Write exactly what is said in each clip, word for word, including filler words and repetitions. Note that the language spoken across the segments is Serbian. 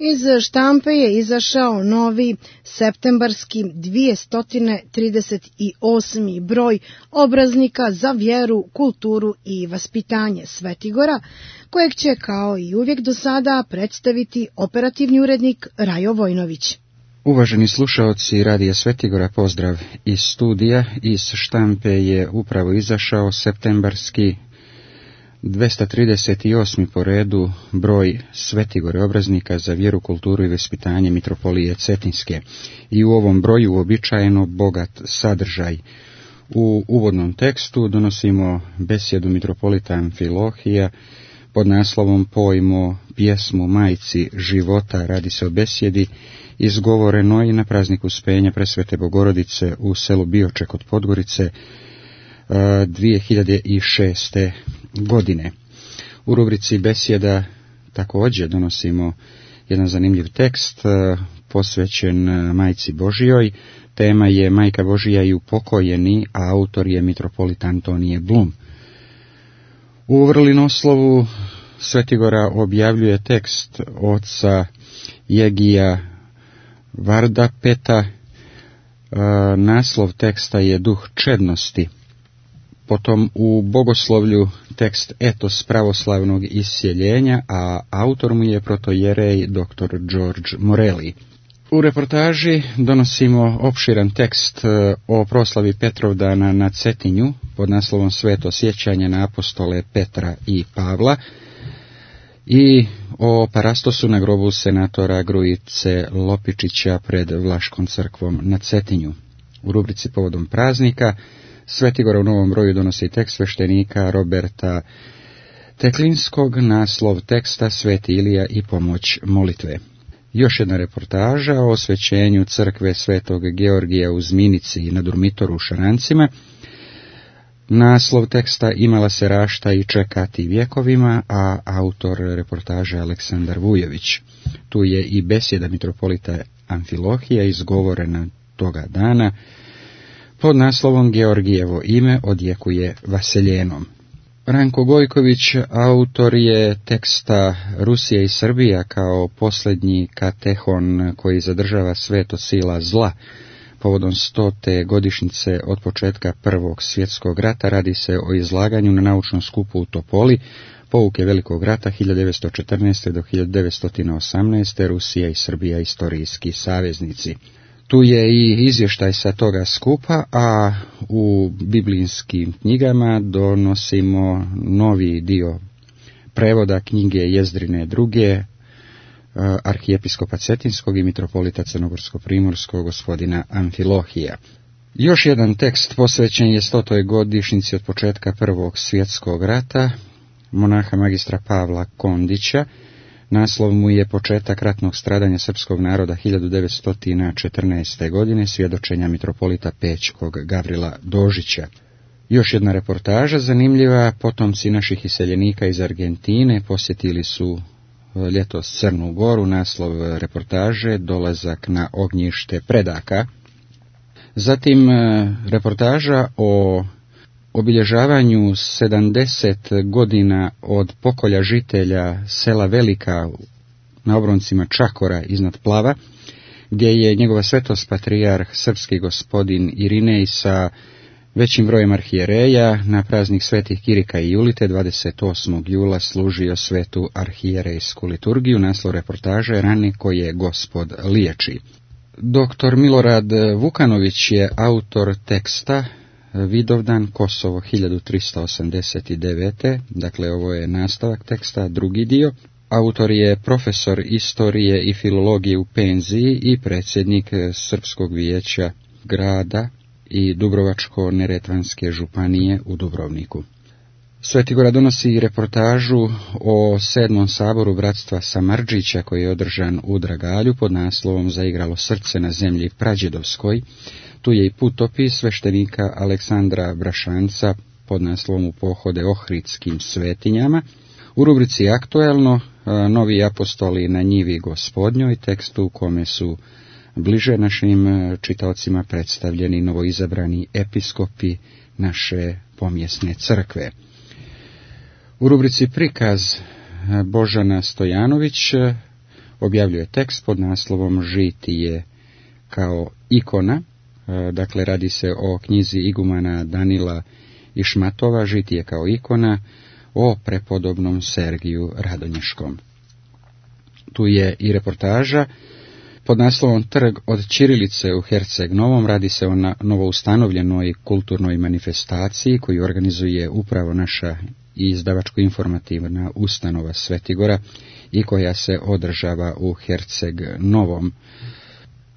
Iz štampe je izašao novi septembarski dvjesto trideset osmi broj obraznika za vjeru, kulturu i vaspitanje Svetigora, kojeg će kao i uvijek do sada predstaviti operativni urednik Rajo Vojnović. Uvaženi slušaoci Radija Svetigora, pozdrav iz studija. Iz štampe je upravo izašao septembarski dvjesto trideset osmi po redu broj Svetigore obraznika za vjeru, kulturu i vaspitanje Mitropolije Cetinske. I u ovom broju uobičajeno bogat sadržaj. U uvodnom tekstu donosimo besjedu mitropolita Amfilohija pod naslovom Pojmo pjesmu majci života. Radi se o besjedi izgovorenoj na prazniku Uspenja Presvete Bogorodice u selu Bioče kod Podgorice dvije hiljade šeste. godine. U rubrici besjeda također donosimo jedan zanimljiv tekst posvećen Majci Božijoj. Tema je Majka Božija i upokojeni, a autor je mitropolit Antonije Blum. U vrlinoslovu Svetigora objavljuje tekst oca Jegija Vardapeta. Naslov teksta je Duh čednosti. Potom u bogoslovlju tekst Etos pravoslavnog isjeljenja, a autor mu je protojerej doktor George Morelli. U reportaži donosimo opširan tekst o proslavi Petrovdana na Cetinju pod naslovom Sveto sjećanje na apostole Petra i Pavla i o parastosu na grobu senatora Grujice Lopičića pred Vlaškom crkvom na Cetinju. U rubrici povodom praznika Svetigora u novom broju donosi tekst sveštenika Roberta Teklinskog, naslov teksta Sveti Ilija i pomoć molitve. Još jedna reportaža o osvećenju crkve Svetog Georgija u Zminici i na Durmitoru u Šarancima. Naslov teksta Imala se rašta i čekati vjekovima, a autor reportaže Aleksandar Vujović. Tu je i besjeda mitropolita Amfilohija izgovorena toga dana pod naslovom Georgijevo ime odjekuje Vaseljenom. Ranko Gojković autor je teksta Rusija i Srbija kao posljednji katehon koji zadržava sveto sila zla. Povodom stote godišnjice od početka Prvog svjetskog rata radi se o izlaganju na naučnom skupu u Topoli, pouke Velikog rata hiljadu devetsto četrnaeste. do hiljadu devetsto osamnaeste. Rusija i Srbija istorijski saveznici. Tu je i izvještaj sa toga skupa, a u biblijskim knjigama donosimo novi dio prevoda knjige Jezdrine druge, arhijepiskopa Cetinskog i mitropolita Crnogorsko-primorskog gospodina Amfilohija. Još jedan tekst posvećen je stotoj godišnjici od početka Prvog svjetskog rata, monaha magistra Pavla Kondića. Naslov mu je Početak ratnog stradanja srpskog naroda hiljadu devetsto četrnaeste. godine, svjedočenja mitropolita Pećkog Gavrila Dožića. Još jedna reportaža zanimljiva, potomci naših iseljenika iz Argentine posjetili su ljetos Crnu Goru, naslov reportaže Dolazak na ognjište predaka. Zatim reportaža o obilježavanju sedamdeset godina od pokolja žitelja sela Velika na obroncima Čakora iznad Plava, gdje je njegova svetost patrijarh srpski gospodin Irinej sa većim brojem arhijereja na praznik svetih Kirika i Julite dvadeset osmog jula služio svetu arhijerejsku liturgiju. Naslov reportaže Rane koje Gospod liječi. Doktor Milorad Vukanović je autor teksta Vidovdan, Kosovo hiljadu tristo osamdeset devete. Dakle, ovo je nastavak teksta, drugi dio. Autor je profesor istorije i filologije u penziji i predsjednik Srpskog vijeća grada i Dubrovačko-neretvanske županije u Dubrovniku. Svetigora donosi reportažu o sedmom saboru bratstva Samardžića koji je održan u Dragalju pod naslovom Zaigralo srce na zemlji Prađedovskoj. Tu je i putopis sveštenika Aleksandra Brašanca pod naslovom U pohode Ohridskim svetinjama. U rubrici Aktuelno, novi apostoli na njivi Gospodnjoj, tekstu u kome su bliže našim čitaocima predstavljeni novoizabrani episkopi naše pomjesne crkve. U rubrici Prikaz Božana Stojanović objavljuje tekst pod naslovom Žitije kao ikona, dakle radi se o knjizi igumana Danila Išmatova, Žitije kao ikona, o prepodobnom Sergiju Radonješkom. Tu je i reportaža pod naslovom Trg od ćirilice u Herceg Novom. Radi se o novoustanovljenoj kulturnoj manifestaciji koju organizuje upravo naša izdavačko-informativna ustanova Svetigora i koja se održava u Herceg Novom.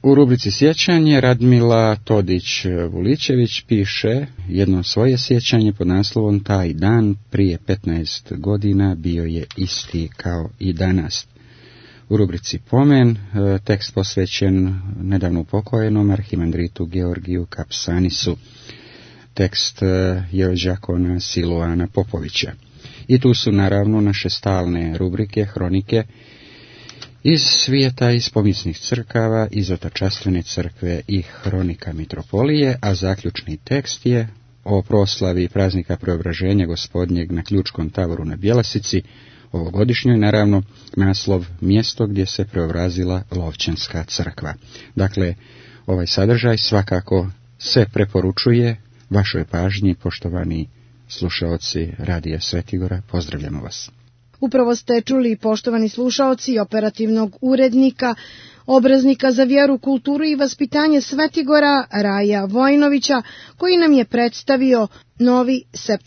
U rubrici Sjećanje Radmila Todić-Vuličević piše jedno svoje sjećanje pod naslovom Taj dan prije petnaest godina bio je isti kao i danas. U rubrici Pomen tekst posvećen nedavno upokojenom arhimandritu Georgiju Kapsanisu. Tekst je od đakona Siluana Popovića. I tu su naravno naše stalne rubrike, hronike iz svijeta, iz pomisnih crkava, iz Otačastvene crkve i hronika mitropolije, a zaključni tekst je o proslavi praznika Preobraženja Gospodnjeg na Ključkom tavoru na Bjelasici, ovogodišnjoj, naravno, naslov mjesto gdje se preobrazila Lovćenska crkva. Dakle, ovaj sadržaj svakako se preporučuje vašoj pažnji, poštovani slušaoci Radija Svetigora, pozdravljamo vas. Upravo ste čuli, poštovani slušaoci, operativnog urednika, obraznika za vjeru, kulturu i vaspitanje Svetigora, Raja Vojnovića, koji nam je predstavio novi septembarski